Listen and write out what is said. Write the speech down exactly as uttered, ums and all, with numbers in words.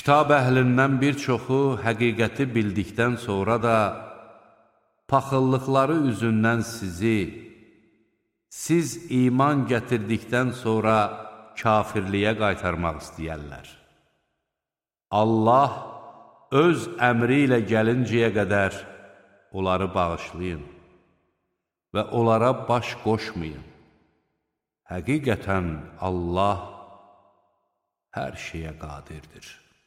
Kitab əhlindən bir çoxu həqiqəti bildikdən sonra da paxıllıqları üzündən sizi, siz iman gətirdikdən sonra kafirliyə qaytarmaq istəyərlər. Allah öz əmri ilə gəlincəyə qədər onları bağışlayın və onlara baş qoşmayın. Həqiqətən Allah hər şeyə qadirdir.